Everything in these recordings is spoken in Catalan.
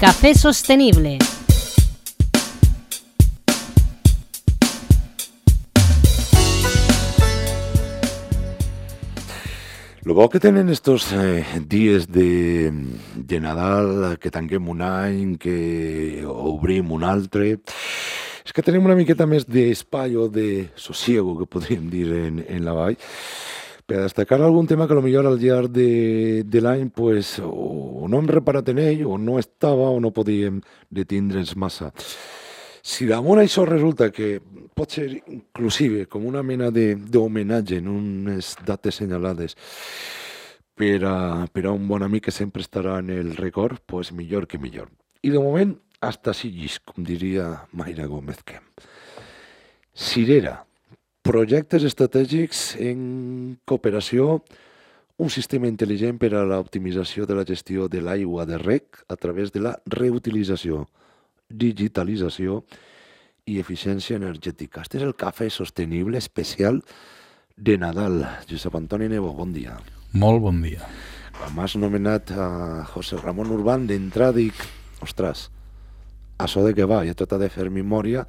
Café Sostenible. Lo bo que tenen estos dies de Nadal, que tanquem un any, que obrim un altre, és que tenim una miqueta més d'espai o de sosiego, que podríem dir en la vall, per a destacar algun tema que potser al llarg de l'any pues, o no hem reparat en ell, o no estava, o no podíem detindre'ns massa. Si damunt això resulta que pot ser inclusive com una mena d'homenatge en unes dates senyalades per a un bon amic que sempre estarà en el record, pues millor que millor. I de moment, hasta així llis, com diria Mayra Gómez Kemp. Cirera, projectes estratègics en cooperació, un sistema intel·ligent per a l'optimització de la gestió de l'aigua de reg a través de la reutilització, digitalització i eficiència energètica. Este és el cafè sostenible especial de Nadal. Josep Antoni Nebo, bon dia. Molt bon dia. Quan m'has nomenat a José Ramón Urbán, d'entrada dic, ostres, això de què va? Jo he tratat de fer memòria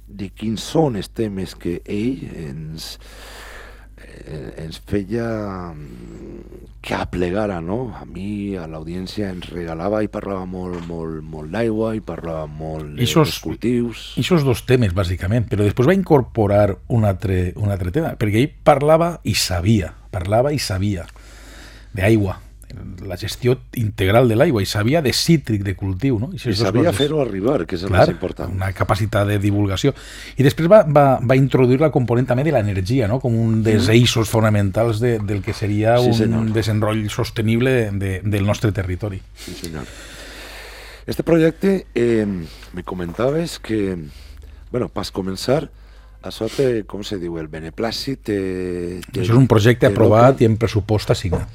de quins són els temes que ell ens feia que aplegara, no? A mi, a l'audiència, ens regalava i parlava molt d'aigua i parlava molt dels cultius. Ixos dos temes, bàsicament, però després va incorporar un altre tema, perquè ell parlava i sabia d'aigua, la gestió integral de l'aigua, i sabia de cítric, de cultiu, no? I sabia fer-ho arribar, que és el més important. Una capacitat de divulgació. I després va introduir la component també de l'energia, no? Com un dels eixos fonamentals del que seria un desenroll sostenible del nostre territori. Sí, senyor. Este projecte, me comentaves que, bueno, pas començar, això té, com se diu, el beneplàcit... Això és un projecte aprovat i en pressupost assignat.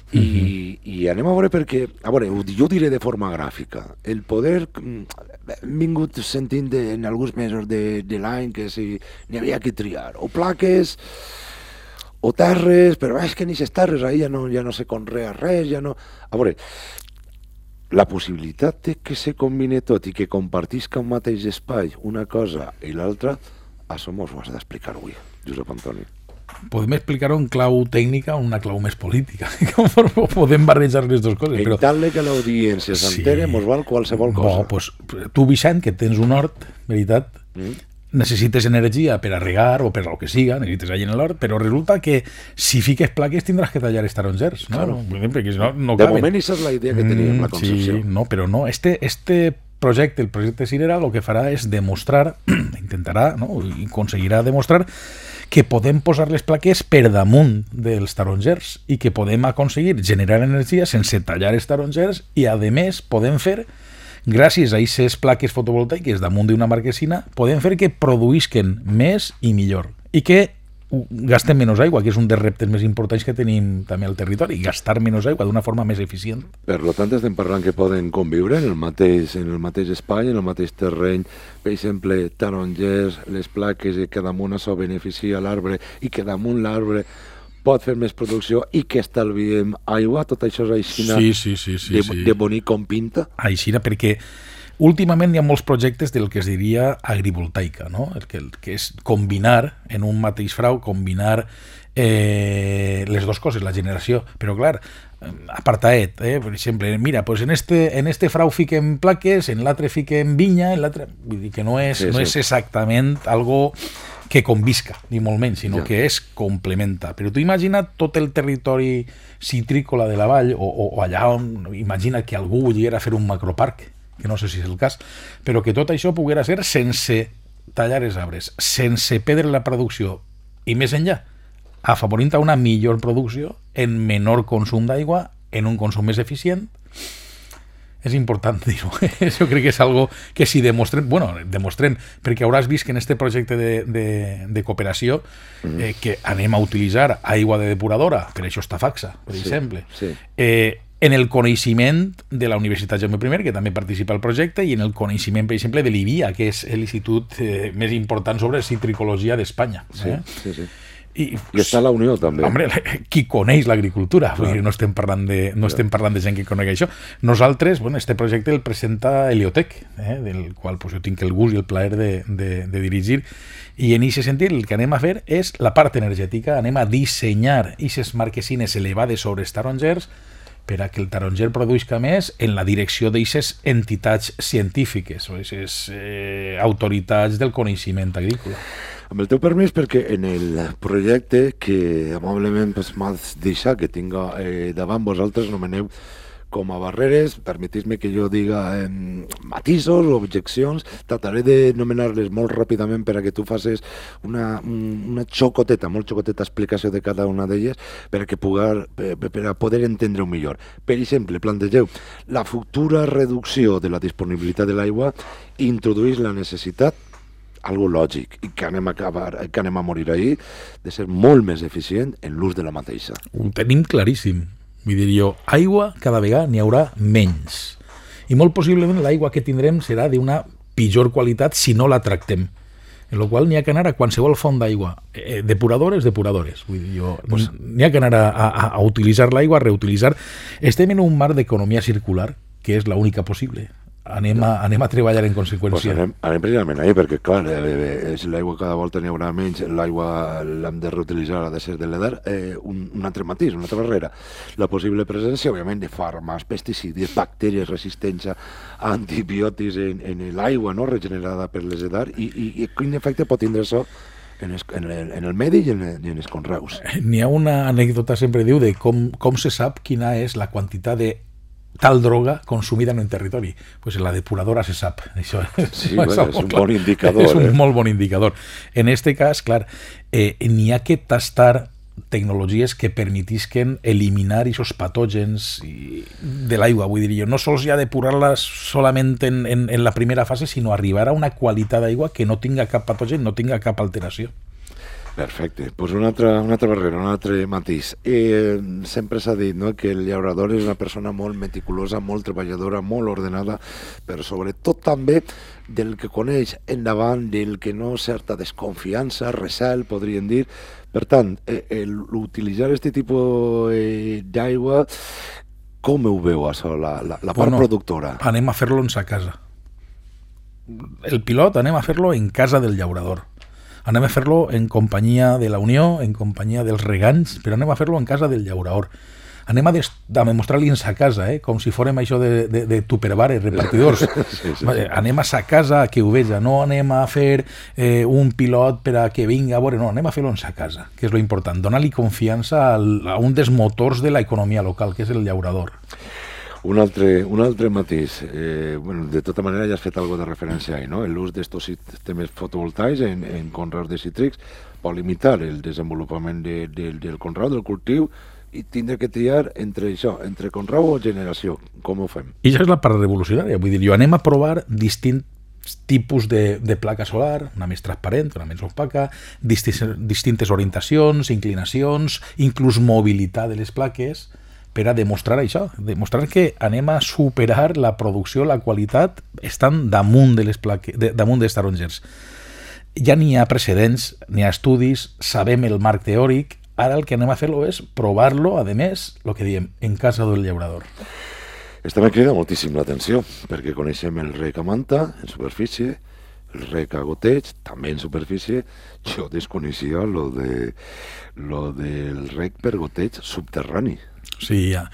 I anem a veure perquè, jo ho diré de forma gràfica, el poder, hem vingut sentint en alguns mesos de l'any que si n'hi havia que triar, o plaques o terres, però és que ni les terres ahí ja no se conrea res, ja no... A veure, la possibilitat de que se combine tot i que compartisca un mateix espai, una cosa i l'altra, això mos ho has d'explicar avui, Josep Antoni. Podem explicar-ho en clau tècnica o en una clau més política. Podem barrejar les dues coses. En tal que l'audiència s'entere, mos val qualsevol cosa. Pues, tu, Vicent, que tens un hort, veritat, necessites energia per a regar o per a lo que siga, necessites allà en l'hort, però resulta que si fiques plaques tindràs que tallar els tarongers. No? Claro. Perquè si no de moment, això és la idea que teníem, la concepció. Sí, no, però no. Este projecte, el projecte Cirera, el que farà és demostrar, intentarà, no? I aconseguirà demostrar que podem posar les plaques per damunt dels tarongers i que podem aconseguir generar energia sense tallar els tarongers i, a més, podem fer, gràcies a aquestes plaques fotovoltaiques damunt d'una marquesina, podem fer que produïsquen més i millor i que gastem menys aigua, que és un dels reptes més importants que tenim també al territori, gastar menys aigua d'una forma més eficient. Per tant, estem parlant que poden conviure en el mateix espai, en el mateix terreny, per exemple, tarongers, les plaques, i que damunt això beneficia l'arbre i que damunt l'arbre pot fer més producció i que estalviem aigua, tot això és aixina de bonic com pinta? Aixina, perquè últimament hi ha molts projectes del que es diria agrivoltaica, no? El que és combinar en un mateix frau, combinar les dues coses, la generació. Però clar, apartaet, per exemple, mira, pues en este frau fiquem plaques, en l'altre fiquem vinya, en l'altre... Vull dir que no és exactament algo que convisca, ni molt menys, sinó que es complementa. Però tu imagina't tot el territori citrícola de la vall, o allà on imagina que algú volguera fer un macroparc, que no sé si és el cas, però que tot això poguera ser sense tallar els arbres, sense perdre la producció i més enllà, afavorint a una millor producció en menor consum d'aigua, en un consum més eficient. És important dir-ho. Jo crec que és algo que si demostrem, perquè hauràs vist que en este projecte de cooperació que anem a utilitzar aigua de depuradora, per això està Faxa, per exemple, en el coneixement de la Universitat Jaume I, que també participa al projecte, i en el coneixement, per exemple, de l'IBIA, que és l'institut més important sobre citricologia d'Espanya. I està la Unió, també. Home, qui coneix l'agricultura? No estem parlant de gent que conegui això. Nosaltres, este projecte el presenta Heliotec, del qual jo tinc el gust i el plaer de dirigir, i en aquest sentit el que anem a fer és la part energètica, anem a dissenyar aquestes marquesines elevades sobre els tarongers per a que el taronger produïsca més en la direcció d'aquestes entitats científiques o aquestes autoritats del coneixement agrícola. Amb el teu permís, perquè en el projecte que amablement m'has deixat que tinga davant vosaltres nomeneu com a barreres, permetis-me que jo diga matisos o objeccions, trataré de nomenar-les molt ràpidament per a que tu facis una xocoteta, molt xocoteta explicació de cada una d'elles per a poder entendre-ho millor. Per exemple, plantegeu la futura reducció de la disponibilitat de l'aigua introdueix la necessitat, algo lògic, i que anem a morir ahir, de ser molt més eficient en l'ús de la mateixa. Ho tenim claríssim. Vull dir jo, aigua cada vegada n'hi haurà menys. I molt possiblement l'aigua que tindrem serà d'una pitjor qualitat si no la tractem. En la qual n'hi ha que anar a qualsevol font d'aigua. Depuradores. Vull dir jo, n'hi ha que anar a utilitzar l'aigua, a reutilitzar. Estem en un marc d'economia circular, que és l'única possible. Anem a treballar en conseqüència. Anem precisament ahir, perquè clar, l'aigua cada volta n'hi haurà menys, l'aigua l'hem de reutilitzar, ha de ser de l'EDAR, un altre matís, una altra barrera. La possible presència, òbviament, de fàrmacs, pesticides, bactèries resistents a antibiòtics en l'aigua regenerada per les EDAR, i quin efecte pot tindre això en el medi i en els conreus. N'hi ha una anècdota, sempre diu, de com se sap quina és la quantitat de tal droga consumida en un territori. Pues en la depuradora se sap. Això sí, és un bon indicador. És un molt bon indicador. En este cas, clar, n'hi ha que tastar tecnologies que permetisquen eliminar aquests patògens de l'aigua. Vull dir jo, no sols ja depurar-la solament en la primera fase, sinó arribar a una qualitat d'aigua que no tinga cap patogen, no tinga cap alteració. Perfecte. Pues una altra barrera, un altre matís. Sempre s'ha dit que el llaurador és una persona molt meticulosa, molt treballadora, molt ordenada, però sobretot també del que coneix endavant, del que no certa desconfiança, recel, podríem dir. Per tant, utilitzar aquest tipus d'aigua, com ho veu això, la part productora? Anem a fer-lo en sa casa. El pilot anem a fer-lo en casa del llaurador. Anem a fer-lo en companyia de la Unió, en companyia dels regants, però anem a fer-lo en casa del llaurador. Anem a demostrar-li en sa casa, com si fórem això de tupperwares, repartidors. Sí. Anem a sa casa a que ho veja, no anem a fer un pilot per a que vingui a veure, no, anem a fer-lo en sa casa, que és lo important, donar-li confiança a un dels motors de l'economia local, que és el llaurador. Un altre matís. De tota manera ja has fet alguna de referència ahí, no? L'ús d'estos sistemes fotovoltaics en conreus de cítrics pot limitar el desenvolupament del conreu, del cultiu, i tindre que triar entre això, entre conreu o generació. Com ho fem? I això és la part revolucionària. Vull dir, jo anem a provar distints tipus de placa solar, una més transparent, una més opaca, distintes orientacions, inclinacions, inclús mobilitat de les plaques, per a demostrar això, demostrar que anem a superar la producció, la qualitat, estan damunt de les plaques, damunt dels tarongers. Ja n'hi ha precedents, n'hi ha estudis, sabem el marc teòric, ara el que anem a fer-lo és provar-lo, a més, el que diem, en casa del llaurador. Està me crida moltíssim l'atenció, perquè coneixem el rec a manta, en superfície, el rec a goteig, també en superfície. Jo desconeixia lo del rec per goteig subterrani. Sí, ja.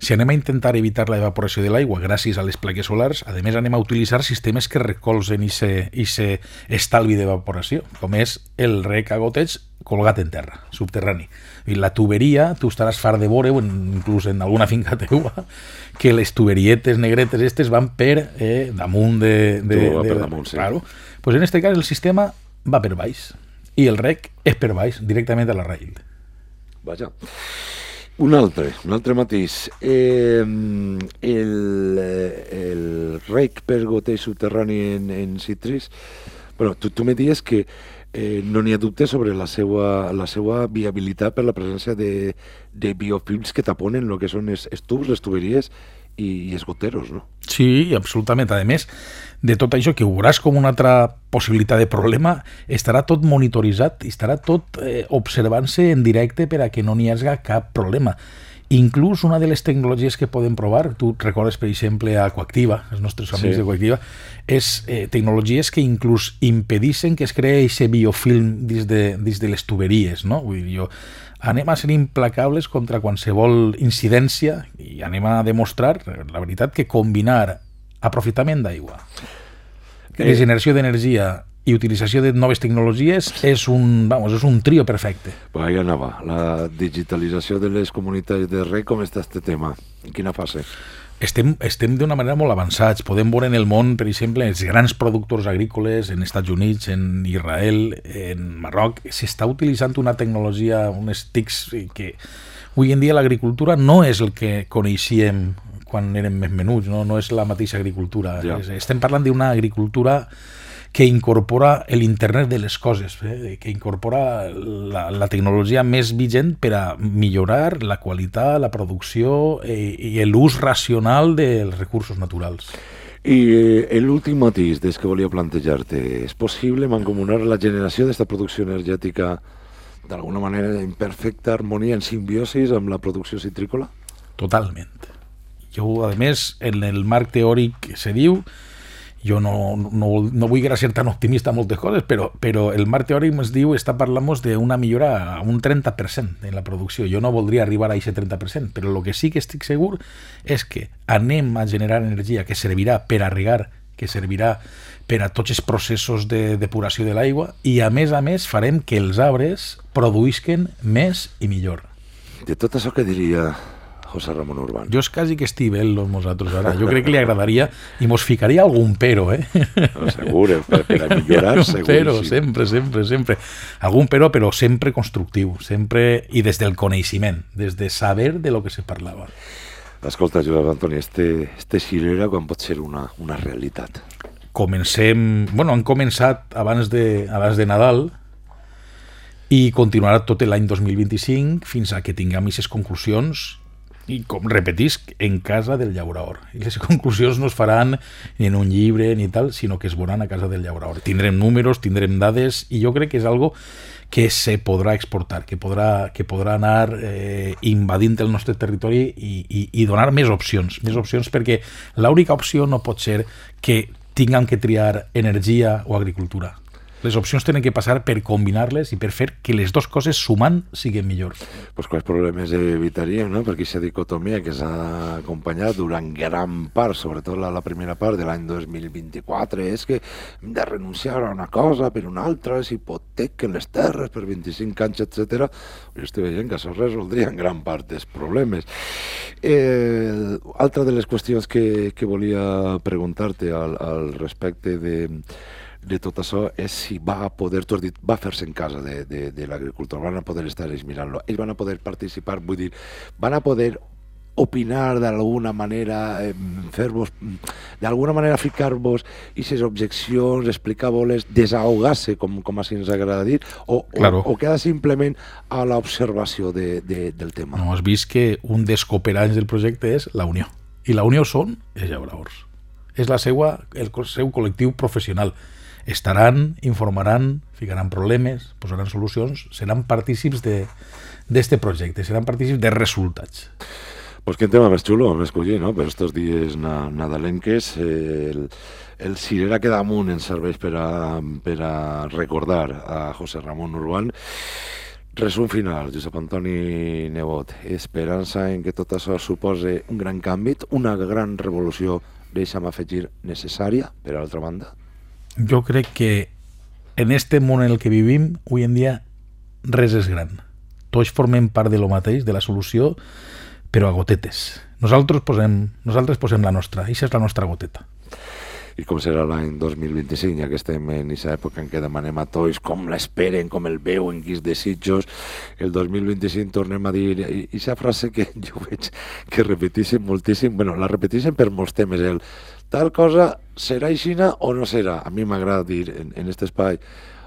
Si anem a intentar evitar la evaporació de l'aigua gràcies a les plaques solars, a més anem a utilitzar sistemes que recolzen aquest estalvi d'evaporació, com és el rec a goteig colgat en terra, subterrani. I la tuberia, tu estaràs fart de veure, inclús en alguna finca teua, que les tuberietes negretes estes van per damunt de... per damunt, sí. Claro. Pues en este cas el sistema va per baix i el rec és per baix, directament a la raïl. Vaja. Un altre matís. El rec per goteig subterrani en cítrics, bueno, tu me dies que no n'hi ha dubte sobre la seva viabilitat per la presència de biofilms que taponen el que són els tubs, les tuberies, i els goteros, no? Sí, absolutament. A més, de tot això que ho veuràs com una altra possibilitat de problema, estarà tot monitoritzat, estarà tot observant-se en directe per a que no n'hi hagi cap problema. Inclús una de les tecnologies que podem provar, tu recordes, per exemple, a Coactiva, els nostres amics de Coactiva, és tecnologies que inclús impedissin que es creï aquest biofilm dins de les tuberies, no? Vull dir, anem a ser implacables contra qualsevol incidència i anem a demostrar, la veritat, que combinar aprofitament d'aigua, regeneració d'energia i utilització de noves tecnologies és un trio perfecte. Pues ahí anava. La digitalització de les comunitats de reg, com està este tema? En quina fase? Estem d'una manera molt avançats. Podem veure en el món, per exemple, els grans productors agrícoles en Estats Units, en Israel, en Marroc. S'està utilitzant una tecnologia, unes TICs, que avui en dia l'agricultura no és el que coneixíem quan érem més menuts, no és la mateixa agricultura. Ja. Estem parlant d'una agricultura que incorpora l'internet de les coses, que incorpora la tecnologia més vigent per a millorar la qualitat, la producció i l'ús racional dels recursos naturals. I l'últim matís des que volia plantejar-te, és possible mancomunar la generació d'aquesta producció energètica d'alguna manera en perfecta harmonia, en simbiosis amb la producció citrícola? Totalment. Jo, a més, en el marc teòric se diu, jo no vull ser tan optimista en moltes coses, però el marc teòric ens diu, parlant d'una millora a un 30% en la producció. Jo no voldria arribar a aquest 30%, però el que sí que estic segur és que anem a generar energia que servirà per a regar, que servirà per a tots els processos de depuració de l'aigua i, a més, farem que els arbres produïsquen més i millor. De tot això que diria José Ramón Urbán. Jo és quasi que estivem nosaltres ara. Jo crec que li agradaria i mos ficaria algun pero, No, segur, per a millorar, segur. Pero, sempre. Algun però sempre constructiu, sempre i des del coneixement, des de saber de lo que se parlava. Escolta, Josep Antoni, este Xilera quan pot ser una realitat? Han començat abans de Nadal i continuarà tot l'any 2025 fins a que tinguem aquestes conclusions i, com repetisc, en casa del llauraor. I les conclusions no es faran ni en un llibre ni tal, sinó que es veuran a casa del llauraor. Tindrem números, tindrem dades, i jo crec que és algo que se podrà exportar, que podrà anar invadint el nostre territori i donar més opcions, perquè l'única opció no pot ser que tinguem que triar energia o agricultura. Les opcions tenen que passar per combinar-les i per fer que les dues coses sumant siguin millor. Pues quals problemes evitaríem, no? Perquè aquesta dicotomia que s'ha acompanyat durant gran part, sobretot la primera part de l'any 2024, és que hem de renunciar a una cosa per una altra, s'hipotequen les terres per 25 anys, etc. Jo estic veient que això resoldria en gran part dels problemes. Altra de les qüestions que volia preguntar-te al respecte de tot això és si va poder, tu has dit, va fer-se en casa de l'agricultor, van a poder estar ells mirant-lo, ells van a poder participar, vull dir, van a poder opinar d'alguna manera, fer-vos, d'alguna manera ficar-vos aquestes objeccions, explicar-vos-les, desahogar-se, com així ens agrada dir, o queda simplement a l'observació del tema? No, has vist que un dels cooperants del projecte és la Unió, i la Unió són els llauraors. És el seu col·lectiu professional. Estaran, informaran, ficaran problemes, posaran solucions, seran partícips d'este projecte, seran partícips de resultats. Pues quin tema més xulo hem escollit, no? Per estos dies nadalenques, el Xilera que damunt ens serveix per a recordar a José Ramón Urbán. Resum final, Josep Antoni Nebot, esperança en que tot això supose un gran canvi, una gran revolució, deixa'm afegir, necessària, per altra banda? Jo crec que en este món en el que vivim, avui en dia, res és gran. Tots formem part de lo mateix, de la solució, però a gotetes. Nosaltres posem la nostra, i això és la nostra goteta. I com serà l'any 2025, ja que estem en aquesta època en què demanem a tots com l'esperen, com el veuen, quins desitjos. El 2025 tornem a dir aquesta frase que jo veig que repeteixen moltíssim, bueno, la repeteixen per molts temes, el tal cosa serà aixina o no serà. A mi m'agrada dir en aquest espai,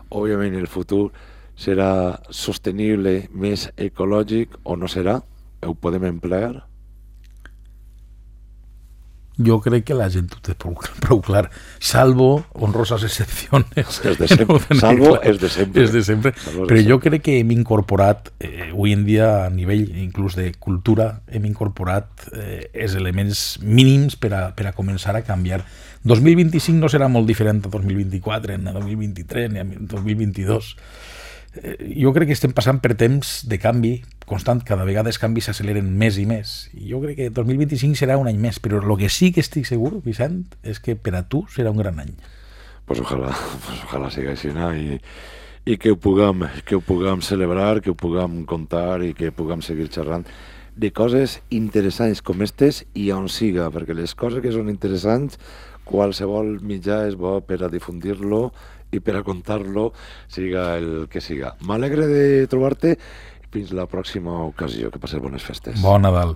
òbviament el futur serà sostenible, més ecològic o no serà? Ho podem emplear? jo crec que la gent ho té prou clar, salvo honrosas excepciones. Salvo és de sempre. És de sempre. Però jo crec que hem incorporat, avui en dia, a nivell inclús de cultura, hem incorporat els elements mínims per a començar a canviar. 2025 no serà molt diferent a 2024, ni a 2023, ni a 2022. Jo crec que estem passant per temps de canvi constant, cada vegada els canvis s'acceleren més i més. I jo crec que 2025 serà un any més, però el que sí que estic segur, Vicent, és que per a tu serà un gran any. Pues ojalà sigui així, no? I que ho puguem celebrar, que ho puguem contar i que puguem seguir xerrant de coses interessants com aquestes i on siga, perquè les coses que són interessants, qualsevol mitjà és bo per a difundir-lo i per a contar-lo, siga el que siga. M'alegre de trobar-te. Fins la pròxima ocasió. Que passes bones festes. Bon Nadal.